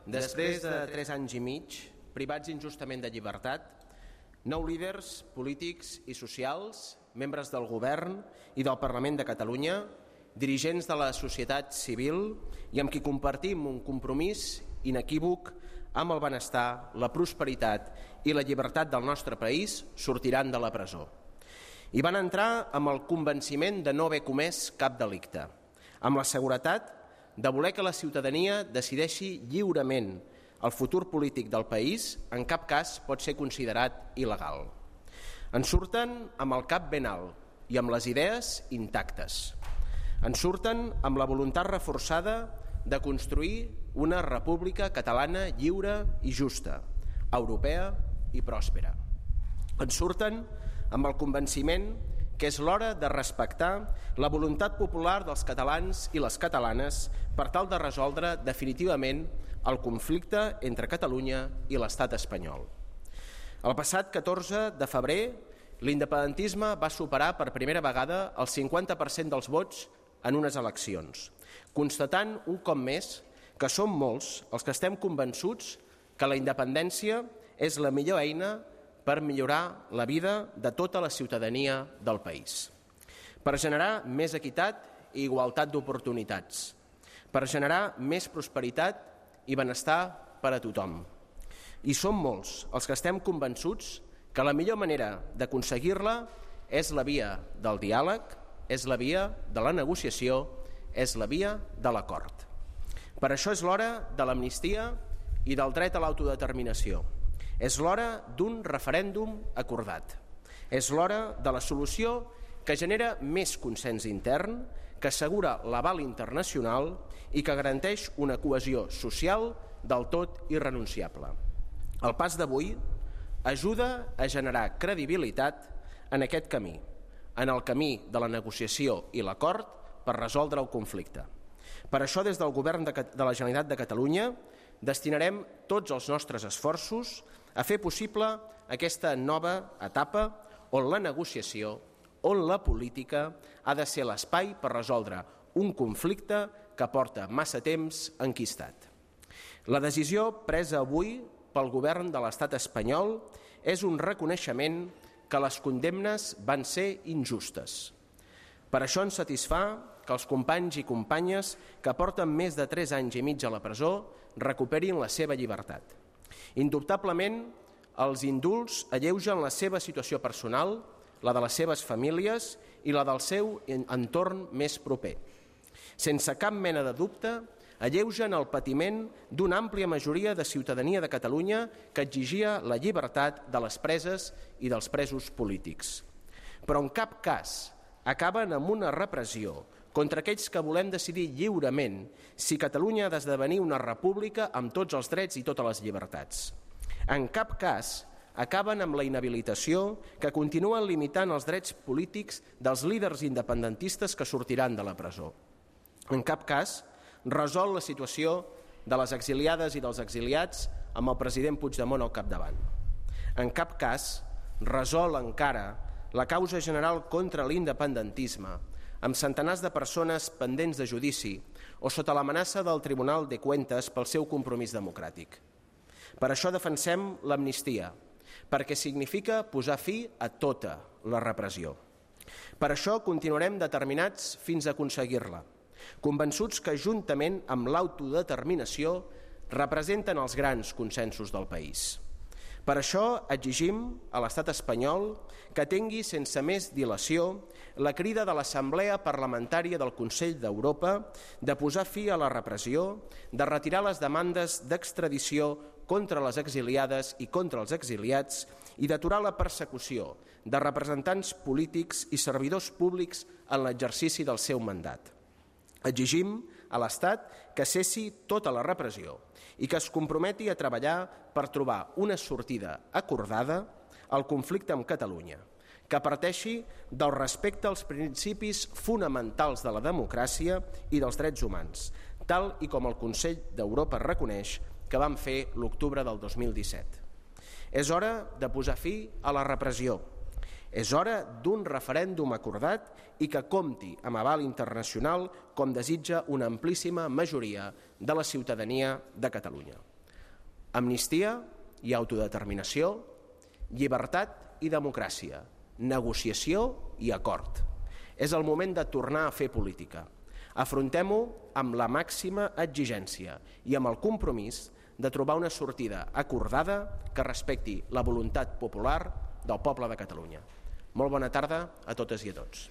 Després de 3 anys i mig, privats injustament de llibertat, 9 líders polítics i socials, membres del govern i del Parlament de Catalunya, dirigents de la societat civil i amb qui compartim un compromís inequívoc amb el benestar, la prosperitat i la llibertat del nostre país, sortiran de la presó. I van entrar amb el convenciment de no haver comès cap delicte, amb la seguretat de voler que la ciutadania decideixi lliurement el futur polític del país, en cap cas pot ser considerat il·legal. En surten amb el cap ben alt i amb les idees intactes. En surten amb la voluntat reforçada de construir una república catalana lliure i justa, europea i pròspera. En surten amb el convenciment que és l'hora de respectar la voluntat popular dels catalans i les catalanes per tal de resoldre definitivament el conflicte entre Catalunya i l'estat espanyol. El passat 14 de febrer, l'independentisme va superar per primera vegada el 50% dels vots en unes eleccions, constatant un cop més que som molts els que estem convençuts que la independència és la millor eina per millorar la vida de tota la ciutadania del país, per generar més equitat i igualtat d'oportunitats, per generar més prosperitat i benestar per a tothom. I som molts els que estem convençuts que la millor manera d'aconseguir-la és la via del diàleg, és la via de la negociació, és la via de l'acord. Per això és l'hora de l'amnistia i del dret a l'autodeterminació. És l'hora d'un referèndum acordat. És l'hora de la solució que genera més consens intern, que assegura l'aval internacional i que garanteix una cohesió social del tot irrenunciable. El pas d'avui ajuda a generar credibilitat en aquest camí, en el camí de la negociació i l'acord per resoldre el conflicte. Per això, des del Govern de la Generalitat de Catalunya, destinarem tots els nostres esforços a fer possible aquesta nova etapa on la negociació, on la política ha de ser l'espai per resoldre un conflicte que porta massa temps enquistat. La decisió presa avui pel govern de l'estat espanyol és un reconeixement que les condemnes van ser injustes. Per això ens satisfà que els companys i companyes que porten més de 3 anys i mig a la presó recuperin la seva llibertat. Indubtablement, els indults alleugen la seva situació personal, la de les seves famílies i la del seu entorn més proper. Sense cap mena de dubte, alleugen el patiment d'una àmplia majoria de ciutadania de Catalunya que exigia la llibertat de les preses i dels presos polítics. Però en cap cas acaben amb una repressió contra aquells que volem decidir lliurement si Catalunya ha d'esdevenir una república amb tots els drets i totes les llibertats. En cap cas acaben amb la inhabilitació que continuen limitant els drets polítics dels líders independentistes que sortiran de la presó. En cap cas resol la situació de les exiliades i dels exiliats amb el president Puigdemont al capdavant. En cap cas resol encara la causa general contra l'independentisme, amb centenars de persones pendents de judici o sota l'amenaça del Tribunal de Cuentas pel seu compromís democràtic. Per això defensem l'amnistia, perquè significa posar fi a tota la repressió. Per això continuarem determinats fins a aconseguir-la, convençuts que juntament amb l'autodeterminació representen els grans consensos del país. Per això exigim a l'estat espanyol que tingui sense més dilació la crida de l'Assemblea Parlamentària del Consell d'Europa de posar fi a la repressió, de retirar les demandes d'extradició contra les exiliades i contra els exiliats i d'aturar la persecució de representants polítics i servidors públics en l'exercici del seu mandat. Exigim a l'Estat que cessi tota la repressió i que es comprometi a treballar per trobar una sortida acordada al conflicte amb Catalunya, que parteixi del respecte als principis fonamentals de la democràcia i dels drets humans, tal i com el Consell d'Europa reconeix que van fer l'octubre del 2017. És hora de posar fi a la repressió. És hora d'un referèndum acordat i que compti amb aval internacional com desitja una amplíssima majoria de la ciutadania de Catalunya. Amnistia i autodeterminació, llibertat i democràcia, negociació i acord. És el moment de tornar a fer política. Afrontem-ho amb la màxima exigència i amb el compromís de trobar una sortida acordada que respecti la voluntat popular del poble de Catalunya. Molt bona tarda a totes i a tots.